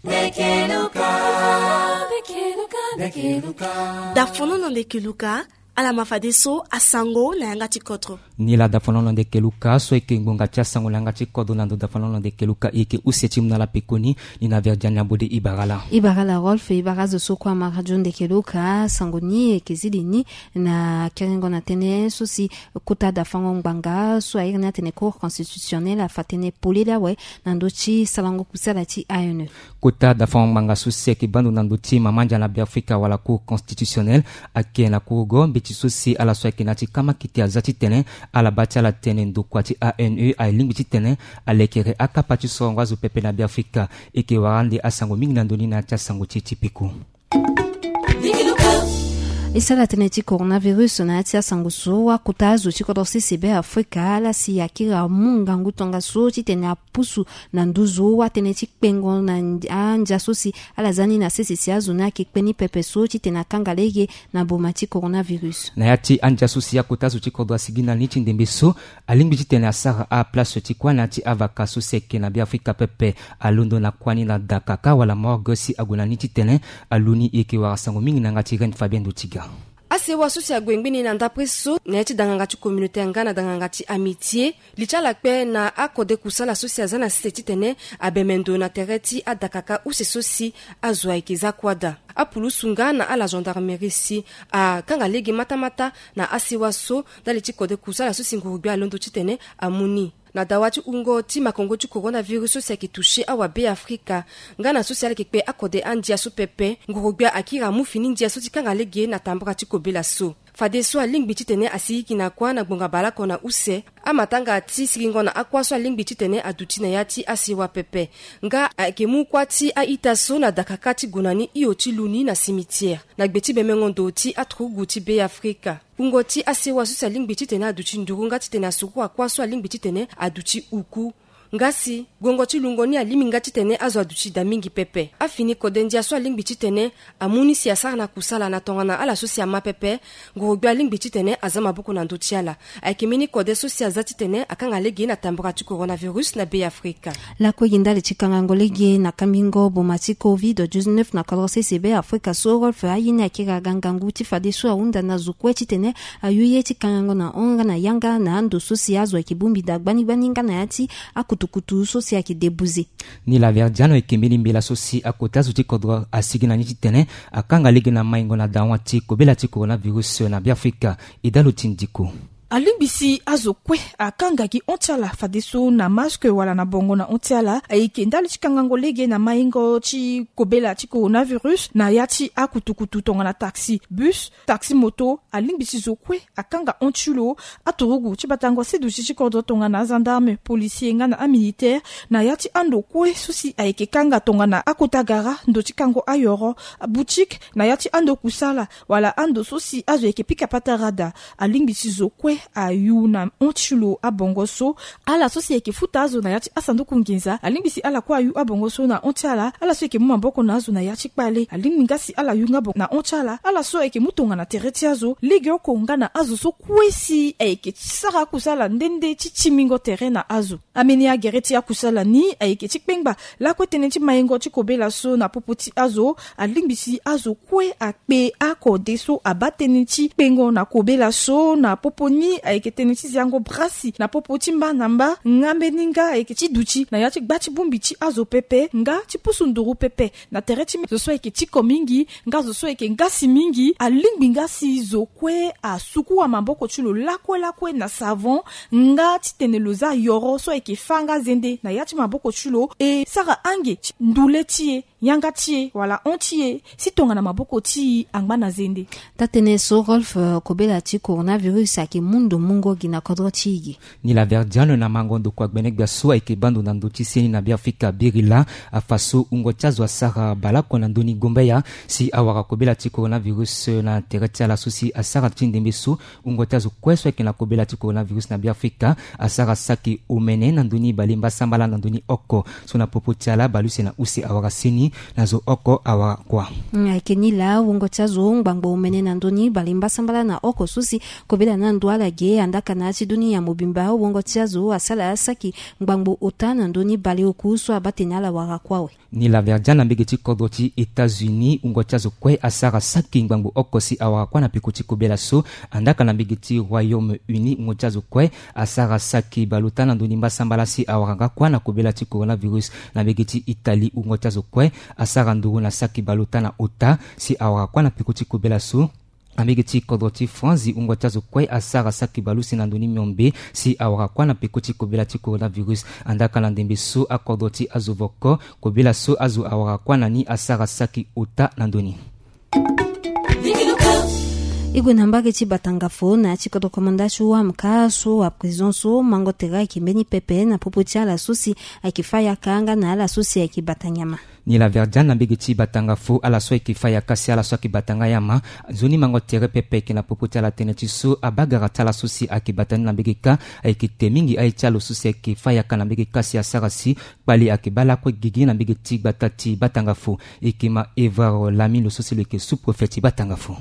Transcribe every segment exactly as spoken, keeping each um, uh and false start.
Ndeke Luka. Ndeke Luka, ndeke Luka. Dafono na ndeke Luka, ala ma fadeso asango na yanga ti kodro. Ni la dafono na ndeke Luka, so eke ngbonga ti asango na yanga ti kodro na ndo dafono na ndeke Luka, eke use ti mu na ala pekoni, ni na Verdiane Ambode. Ibara la. Ibara la Rolf, ibara azo so kue ama radio ndeke Luka, sango ni eke zi li ni na kerengo na tënë so si kota dafango ngbanga so a iri ni atene Cour constitutionnelle afa tënë polele awe na ndö ti sarango kusala ti A N E. Kota dafango ngbanga so si ayeke baa ndo na ndö ti mama ndia na Beafrika wala Cour constitutionnelle, ayeke na kurugo mbeti so si ala so ayeke na ya ti kamakete aza titene ala baa ti ala tene ndokua ti A N E alingbi titene alekere akapa ti sorongo azo pepe na Beafrika. Eke wara ande asango mingi na ndö ni na ya ti asango ti e ti peko. E sara tënë ti coronavirus na ya ti asango so, akota azo ti kodro sese Beafrika, ala si akiri amu ngangu tongaso titene apusu na nduzu atënë ti kpengo na ndia, andia so si ala za ni na sese si azo ni ayeke kpe ni pepe so titene akanga lege na boma ti coronavirus. Na ya ti andia so si akota azo ti kodro asigi na ni ti ndembe so, alingbi titene asara aplace ti kuâ na ya ti avaka so si ayeke na Beafrika pepe. Alondo na kuâ ni na dakaka wala morgue si ague na ni titene alu ni. E yeke wara sango mingi na yanga ti Reine Fabienne Dotiga. Asewa so si ague ngbeni na ndapre so na ya ti danganga ti communauté nga na danganga ti amitié, li ti ala kpe na akode kusala so si aza na sese titene abembe ndo na tere ti adakaka use so si azo ayeke za kuâ daa. Apulusu nga na ala gendarmerie si akanga lege matamata na asewa so ndali ti kode kusala so si ngurugbia alondo titene amu ni. Na dawa ti wungo ti makongo ti coronavirus so si ayeke touché awabeafrika nga na so si ala yeke kpe akode andia so pepe, ngurugbia akiri amu fini ndia so ti kanga lege na tambara ti kobela so. Fadeso alingbi titene asigigi na kuâ na ngbonga baleoko na use. Amatanga ti sigingo na akuâ so alingbi titene aduti na ya ti asewa pepe. Nga ayeke mu kuâ ti a-ita so na dakaka ti gue na ni hio ti lu ni na cimetière, na gbe ti bemengo ndo ti aturugu ti Beafrika. Wungo ti asewa so si alingbi titene aduti nduru nga titene asuku akuâ so alingbi titene aduti uku. Nga si guengo ti lungo ni alingbi nga titene azo aduti daa mingi pepe. Afini kode ndia so alingbi titene amu ni si asara na kusala na tongana ala so si ama pepe, ngurugbia alingbi titene aza maboko na ndö ti ala. Ayeke mbeni kode so si aza titene akanga lege na tambara ti coronavirus na Beafrika. Lakue gi ndali ti kangango lege na kambingo boma ti covid dix-neuf na kodro sese Beafrika so, Rolf, aye ni akiri aga ngangu ti fadeso ahunda na zo kue titene ayu ye ti kangango na hon nga na yanga na ando so si azo ayeke bongbi daa gbani gbani nga na ya ti akutukutu so si ayeke debuze. Ni la Verdiano, ayeke mbeni mbela so si akota zo ti kodro asigi na ni titene akanga lege na maingo na dawa ti kobela ti coronavirus na Beafrika. E dalo ti ndiko. Alingbi si azo kue akanga gi hon ti ala fadeso na masque wala na bongo na hon ti ala. Ayeke ndali ti kangango lege na maingo ti kobela ti coronavirus na ya ti akutukutu tongana taxi, bus, taxi moto. Alingbi si zo kue akanga hon ti lo. Aturugu ti batango asiduti ti kodro tongana agendarme, policier nga na amilitaire, na ya ti ando kue so si ayeke kanga tongana akota gara, ndo ti kango ayoro, boutique, na ya ti ando kusala, wala ando so si azo ayeke pika patara daa. Alingbi si zo kue ayu na hon ti lo abongo so. Ala so si ayeke futa azo na ya ti asanduku nginza, alingbi si ala kue ayu abongo so na hon ti ala. Ala so ayeke mu maboko na azo na ya ti kpale, alingbi nga si ala yu nga bongo na hon ti ala. Ala so ayeke mu tongana tere ti azo, legeoko nga na azo so kue si ayeke sara akusala nde nde ti timingo tere na azo. Ambeni agere ti akusala ni ayeke ti kpengba lakue tënë ti maingo ti kobela so na popo ti azo. Alingbi si azo kue akpe akode so abaa tënë ti kpengo na kobela so na popo ni ayeke tënë ti ziango brasi na popo ti mba na mba. Nga mbeni nga ayeke ti duti na ya ti gba ti bongbi ti azo pepe, nga ti pusu nduru pepe na tere ti zo so ayeke tiko mingi, nga zo so ayeke ngasi mingi. Alingbi nga si zo kue asuku amaboko ti lo lakue lakue na savon, nga titene lo za yoro so ayeke fâ nga zende na ya ti maboko ti lo, e sara ange ti ndule ti e, yanga ti e wala hon ti e, si tongana maboko ti e angba na zende. Taa tënë so, Rolf, eh, kobela ti coronavirus ayeke mu ndo mungo gi na kodro ti e ge. Ni la Verdiano, na mango ndokua gbene gbia so ayeke baa ndo na ndö ti seni na Beafrika, Birila, afa so wungo ti azo asara baleoko na ndö ni gombeya si awara kobela ti coronavirus na tere ti ala so si asara ti ndembe so. Wungo ti azo kue so ayeke na kobela ti coronavirus na Beafrika asara saki omene na ndö ni balemba sambala na ndö ni oko. So na popo ti ala, baleuse na use awara seni, na zo oko awara kua. Mm, ayeke ni laa, wungo ti azo ngbangbo omene na ndö ni balemba sambala na oko so si kobela na ndo ala Ge andaka na ya ti doni ya mobimba wongo ti azo asala saki ngbangbo ota na ndoni baleoku so abaa tene ala wara kue awe. Ni la Verdian na mbege ti kodro ti États-Unis, wungo ti azo kue asara saki ngbangbo oko si awara kue na peko ti kobela so. Andaka na mbege ti Royaume-Uni, wungo ti azo kue asara saki baleota na ndoni mbasambala si awara nga kue na kobela ti coronavirus. Na mbege ti Italie, wungo ti azo kue asara nduru na saki baleota na ota si awara kue na peko ti kobela so. Na mbege ti kodro ti France, wungo ti azo kue asara saki baleuse na ndoni miombe si awara kue na peko ti kobela ti coronavirus. Andaka na ndembe so akodro ti azo voko, kobela so azo awara kue na ni asara saki ota na ndoni. E gue na mbage ti Batangafo na ya ti kodro komanda ti wamka so aprison so mango tere ayeke mbeni pepe na popo ti ala so si ayeke fâ yaka nga na ala so si ayeke bata nyama. Ni la Verdian na mbege ti Batangafo, ala so ayeke fâ yaka si ala so ayeke bata nga nyama. Nzoni mango tere pepe ayeke na popo ti ala tënë ti so abagara ti ala so si ayeke bata ni na mbege kâ. Ayeke te mingi aye ti ala so si ayeke fâ yaka na mbege kâ si asara si kpali ayeke baa lakue gigi na mbege ti gbata ti Batangafo. E yeke ma Evrard Lami, lo so si lo yeke sous-préfet ti Batangafo.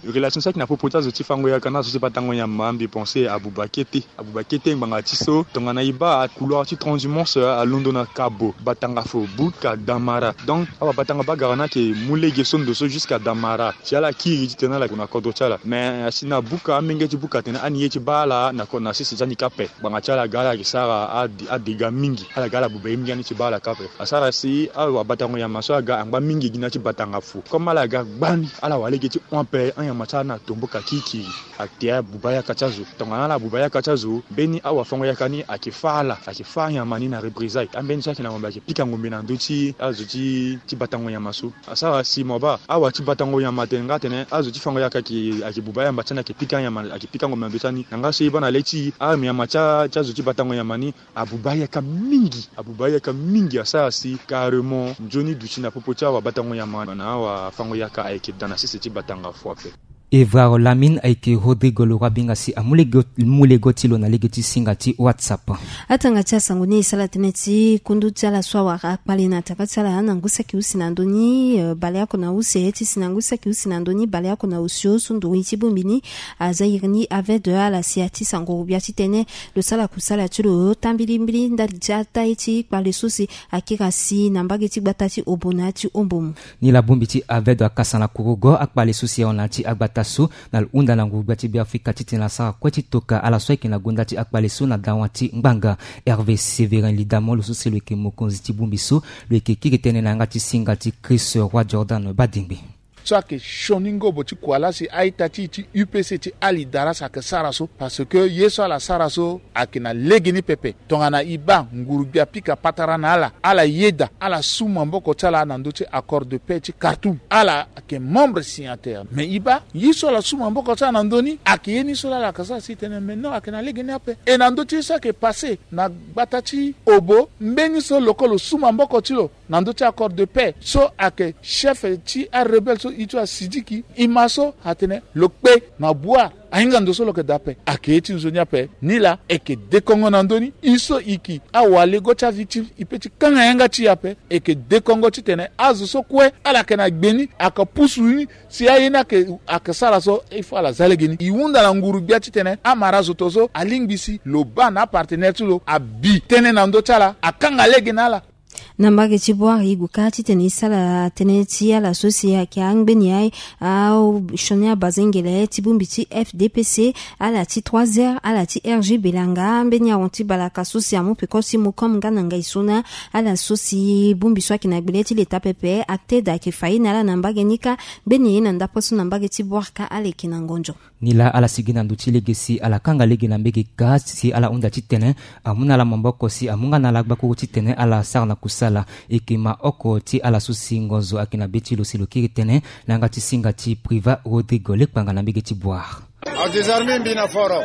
Relation so ayeke na popo ti azo ti fango yaka na azo ti batango nyama, mbi pense abuba kete. Abuba kete ngbanga ti so tongana e baa couloir ti transhumance alondo na Kabo, Batangafo, Buka, Damara. Donc awabatango bagara ni ayeke mu lege so ndo so jusqu'à Damara. Si ala kiri titene ala gue na kodro ti ala. Mais asi na buka, amenge ti buka atene ani ye ti baa ala na ko-, na sese ti ani kâ ape. Ngbanga ti ala aga ala yeke sara ade-, adega mingi. Ala ga ala buba ye mingi ani ti baa ala kâ ape. Asara si awabatango nyama so aga angba mingi gi na ya ti Batangafo. Comme ala ga gbani, ala wara lege ti hon ape, anyama ti ala ni atomboka kirikiri. Ate abuba yaka ti azo. Tongana ala buba yaka ti azo, mbeni awafango yaka ni ayeke fâ ala, ayeke fâ anyama ni na représailles. Ambeni so ayeke na ngombe ayeke pika ngombe na ndö ti azo ti, ti batango nyama so. Asara si mo baa awa ti batango nyama atene nga atene azo ti fango yaka ayeke, ayeke buba ayamba ti ani, ayeke pika anyama, ayeke pika ngombe na ndö ti ani. Na nga so e baa na le ti e, anyama ti a-, ti azo ti batango nyama ni abuba ayaka mingi, abuba ayaka mingi. Asara si carrément nzoni duti na popo ti awabatango nyama na awafango yaka ayeke daa na sese ti Batangafo ape. Evrard Lamine ayeke Rodrigue Leroy Bingasi amu lege, mu lege ti lo na lege ti singa ti WhatsApp. Atanga ti asango ni e sara tënë ti kundu ti ala so awara kpale na tara ti ala na ngu saki use na ndö ni, eh, baleoko na use ti si na ngu saki use na ndö ni baleoko na osio so nduru ti bongbi ni aza iri ni aveugle ala si ati sango gbia titene lo sara kusala ti lo ota mbilimbili ndali ti ata ye ti kpale so si akiri asi na mbage ti gbata ti Obo na ya ti Ombomu. Ni la bongbi ti aveugle akasa na kurugo akpale so si ahon na ya ti agbata so na lo hunda na nguru gbia ti Beafrika titene asara kue ti toka ala so ayeke na gonda ti akpale so na dawa ti ngbanga. Hervé Séverin Lidamo, lo so si lo yeke mokonzi ti bongbi so, lo yeke kiri tënë na yanga ti singa ti Chris Roi Jordan Badingbi. So ayeke sioni ngobo ti kuala si a-ita ti e ti U P C ti Ali Darras ayeke sara so, parce que ye so ala sara so ayeke na legeni pepe. Tongana e baa nguru-gbia apika patara na ala, ala yeda, ala su maboko ti ala na ndö ti accord de paix ti Khartoum. Ala ayeke membre signataire. Mais e baa ye so ala su maboko ti ala na ndö ni ayeke ye ni so laa ala yeke sara si e tene mais non, ayeke na legeni ape. E na ndö ti ye so ayeke passé na gbata ti Obo, mbeni so lo kue lo su maboko ti lo na ndö ti accord de paix so ayeke chef ti arebelle so e ti wa Sidiki, e ma so atene lo kpe na Bouar, ahinga ndo so lo yeke daa ape. Ayeke ye ti nzoni ape. Ni laa e yeke dekongo na ndö ni. E so e yeke awalego ti avictime, e pe ti kanga yanga ti e ape. E yeke dekongo titene azo so kue ala yeke na gbe ni ayeke pusu ni si aye ni ayeke, ayeke sara so il faut ala za lege ni. E hunda na nguru-gbia titene amara azo to so alingbi si lo baa na apartenaire ti lo abi tënë na ndö ti ala, akanga lege na ala. Na mbage ti Bouar e gue kâ titene e sara tënë ti ala so si ayeke angbeni aye, asioni abazengele ti bongbi ti F D P C, ala ti trois R, ala ti R G Belanga, mbeni ahon ti balaka so si amu peko ti mu comme nga na ngai so na ala so si bongbi so ayeke na gbele ti leta pepe, ACTED, ayeke fa ye na ala na mbage ni kâ. Ngbeni ye na ndapre so na mbage ti Bouar kâ ala yeke na ngonzo. Ni laa ala sigi na ndo ti lege si ala kanga lege na mbage kâ si ala hunda titene amu na ala maboko si amu nga na ala gbakuru titene ala sara na kusala. E yeke ma oko ti ala so si ngonzo ayeke na be ti lo si lo kiri tënë na yanga ti singa ti Privat Rodrigue Lekpanga na mbage ti Bouar. Adésarmé mbi na foro.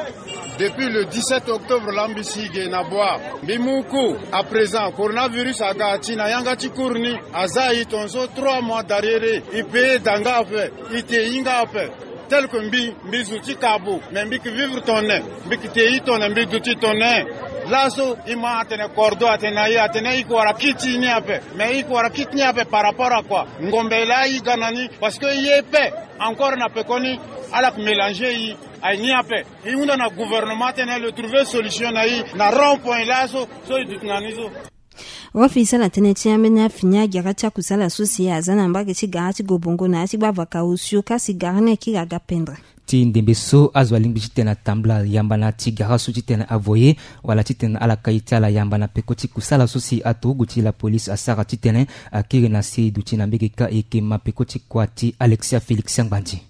Depuis le dix-sept octobre laa mbi si ge na Bouar. Mbi mu cours. À présent, coronavirus aga ti na yanga ti cours ni. Aza e tongaso trois mois d'arriéré. E payé da nga ape. E te hinga ape. Tel que mbi, mbi zo ti kabo, mais mbi yeke vivre tongana nyen? Mbi yeke te i tongana nyen? Mbi duti tongana nyen? Laso e ma atene cordon atene na e, atene e yeke wara kit ni ape. Mais e yeke wara kit ni ape par rapport à quoi? Ngombe laa e ga na ni, parce que e ye pe encore na pekoni ala yeke mélanger e. Aye ni ape. E hunda na gouvernement tënë lo trouver solution na e na rond point laso so e duti na ni so. Wafi sala tënë ti ambeni afini agara ti akusala so si aza na mbage ti gara ti Gobongo na ya ti gbavaka osio kasi gara ni akiri aga pendre. Ti ndembe so azo alingbi titene atambula yamba na ti gara so titene avoye wala titene ala kai ti ala yamba na peko ti kusala so si aturugu ti la police asara titene akiri na se duti na mbege ka e yeke ma peko ti kua ti Alexia Félix Angbandi.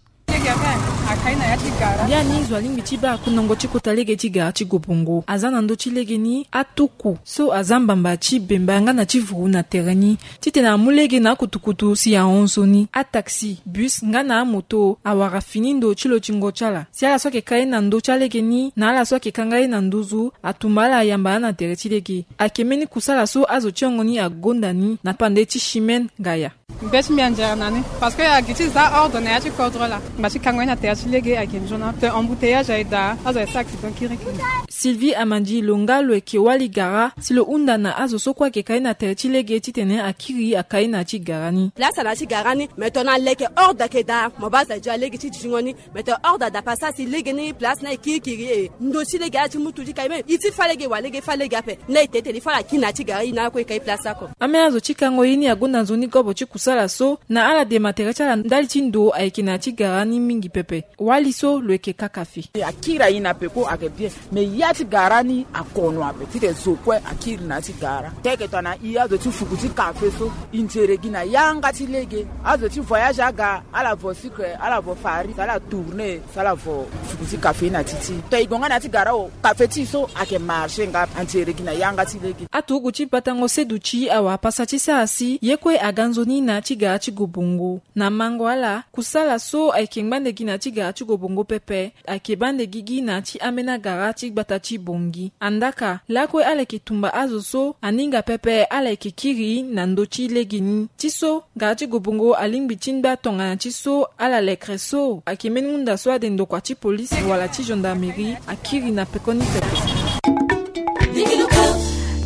Biani zo alingbi ti baa kunongo ti kota lege ti gara ti Gobongo aza na ndö ti lege ni atuku so aza mbamba ti bemba nga na ti vuru na tere ni titene amu lege na akutukutu si ahon nzoni, ataxi, bus nga na amoto awara fini ndo ti lotingo ti ala. Si ala so ayeke ka ye na ndö ti alege ni na ala so ayeke kanga ye na nduzu atumba ala ayamba na tere ti lege. Ayeke mbeni kusala so azo ti hongo ni agonda ni na pande ti Chimène Ngaya. Mbe ti mbi anzere na ni parce que agi ti za ordre na ya ti kodro laa. Mba ti kango ye na tere ti lege ayeke nzoni ape, embouteillage aye daa, azo aye so accident kirikiri. Sylvie Amandi lo nga lo yeke wali gara si lo hunda na azo so kue ayeke ka ye na tere ti lege titene akiri aka ye na ya ti gara ni. Place na ya ti gara ni, mais tongana leke ordre ayeke daa, mo baa azo aye dio alege ti zingo ni. Mais tongana ordre ada pasa si lege ni place ni aye kirikiri e, ndo ti lege ala ti mutu ti kai même e ti fâ lege wala lege fâ lege ape. Ni la e te tene e fâ ala kiri na ya ti gara e na ala kue e kai place oko. Ambeni azo ti kango ye ni agonda nzoni gobo ti kusala so na ala dema tere ti ala ndali ti ndo ayeke na ya ti gara ni mingi pepe. Wali so lo yeke kaka fê. Akiri aye na peko ayeke bien. Mais ya ti gara ni akono ape titene zo kue akiri na ya ti gara. Teke tongana e azo ti fuku ti kafe so e nzere gi na yanga ti lege. Azo ti voyage aga ala vo sucre, ala vo farine, ala tourner, ala vo fuku ti kafe na ti ti. Tongana e gue nga na ya ti gara o, kafe ti e so ayeke marché nga, anzere gi na yanga ti lege. Aturugu ti batango seduti awara pasa ti sara si ye kue aga nzoni na ya ti gara ti Gobongo. Na mango ala, kusala so ayeke ngbande gi na ya ti gara ti Gobongo pepe ayeke baa nde gigi na ya ti ambeni agara ti gbata ti Bangui. Andaa ka lakue ala yeke tumba azo so aninga pepe ala yeke kiri na ndö ti lege ni. Ti so gara ti Gobongo alingbi ti ngba tongana ti so ala lekere so ayeke mbeni hunda so ade ndokua ti polisi wala ti gendarmerie akiri na pekoni pepe.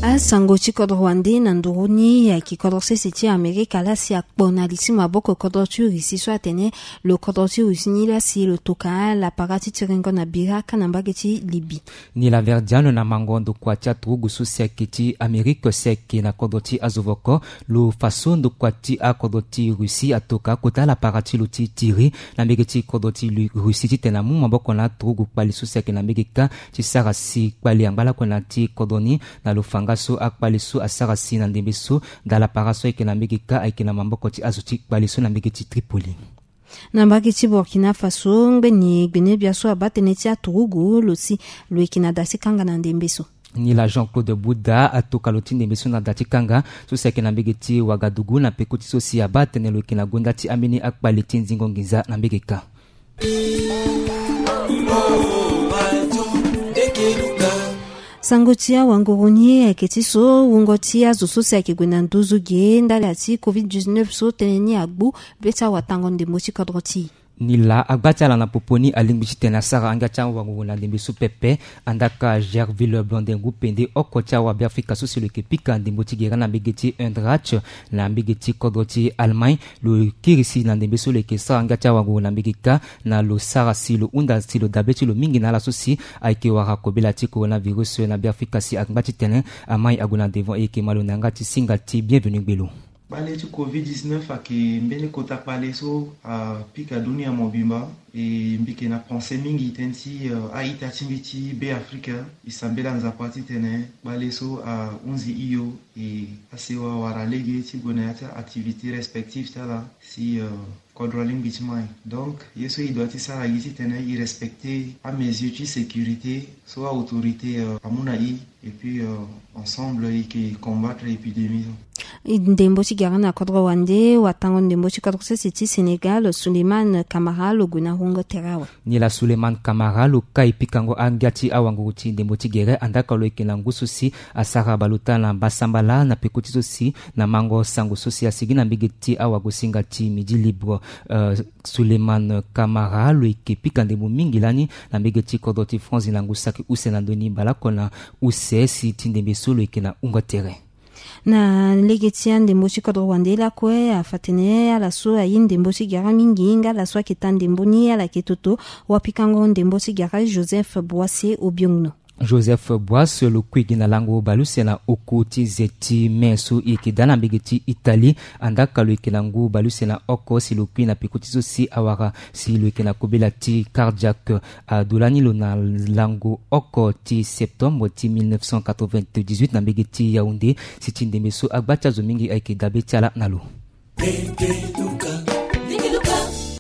Asango ti kodro wande na nduru ni ayeke kodro sese ti Amerika laa si akpo na li ti maboko kodro ti Russie so atene lo kodro ti Russie ni laa si lo toka lapara ti tiringo na bira ka na mbage ti Libye. Ni la Verdiano na mango ndokua ti aturugu so si ayeke ti Amerika si ayeke na kodro ti azo voko lo fa so ndokua ti akodro ti Russie atoka kota lapara ti lo ti tiri na mbage ti kodro ti Russie titene amu maboko na aturugu kpali so si ayeke na mbage ka ti sara si kpali angba lakue na ti kodro ni. Na lo fa nga so akpali so asara si na ndembe so daa lapara so ayeke na mbage ka ayeke na maboko ti azo ti kpali so na mbage ti Tripoli. Na mbage ti Burkina Faso ngbeni gbenebia so abaa tënë ti aturugu lo si lo yeke na da ti kanga na ndembe so. Ni la Jean-Claude Bouda atoka lo ti ndembe so na da ti kanga so si ayeke na mbage ti Ouagadougou na peko ti so si abaa tënë lo yeke na gonda ti ambeni akpali ti nzingo nginza na mbage ka. Sango ti awanguru ni ayeke ti so wungo ti azo so si ayeke gue na nduzu ge ndali ti covid dix-neuf so tënë ni agbu be ti awatango ndembo ti kodro ti e. Ni la agba ti ala na popo ni alingbi titene asara angia ti awanguru na ndembe so pepe. Andaa ka Gerville Blondin Gupende oko ti awabeafrika so si lo yeke pika ndembo ti gere na mbege ti Eintracht na mbege ti kodro ti Allemagne. Lo kiri si na ndembe so lo yeke sara nga ti awanguru na mbege kâ na lo sara si lo hunda si lo dabe ti lo mingi na ala so si ayeke wara kobela ti coronavirus na Beafrika si angba titene amai ague na devant e yeke ma lo na yanga ti singa ti Bienvenu Gbelo. Kpale ti covid dix-neuf ayeke mbeni kota kpale so apika dunia mobimba. E mbi yeke na pensé mingi tënë ti, euh, a-ita ti mbi ti Beafrika. E sambela Nzapa titene kpale so ahunzi hio, e asewa wara lege ti gue na ya ti a-activité respective ti ala si, euh, kodro alingbi ti mai. Donc ye so e doit ti sara gi titene e respecter amesure ti sécurité so a-autorité, euh, amu na e. Et puis, euh, ensemble e yeke combattre épidémie so. Ndembo ti gere na kodro wande, watango ndembo ti kodro sese ti Sénégal, Souleymane Camara, lo gue na hungo tere awe. Ni laa Souleymane Camara lo kai pikango angia ti awanguru ti ndembo ti gere, andaa ka lo yeke na ngu so si asara baleota na mbasambala na peko ti so si na mango sango so si asigi na mbege ti awagosinga ti Midi Libre. Euh, Souleymane Camara lo yeke pika ndembo mingi lani na mbege ti kodro ti France na ngu saki use na ndö ni baleoko na use si ti ndembe so lo yeke na hungo tere. Na lege ti andembo ti kodro wande lakue afa tene ala so aye ndembo ti gere mingi nga ala so ayeke taa ndembo ni ala yeke toto wapikango ndembo ti gere Joseph Boissé Obiongno. Joseph Boissé lo kui gi na lango baleuse na oko ti ze ti mai so e yeke daa na mbege ti Italie. Andaa ka lo yeke na ngu baleuse na oko si lo kui na peko ti so si awara si lo yeke na kobela ti cardiaque. Aduti lani lo na lango oko ti septembre ti mille neuf cent quatre-vingt-dix-huit na mbege ti Yaoundé. Si ti ndembe so agba ti azo mingi ayeke dabe ti ala na lo.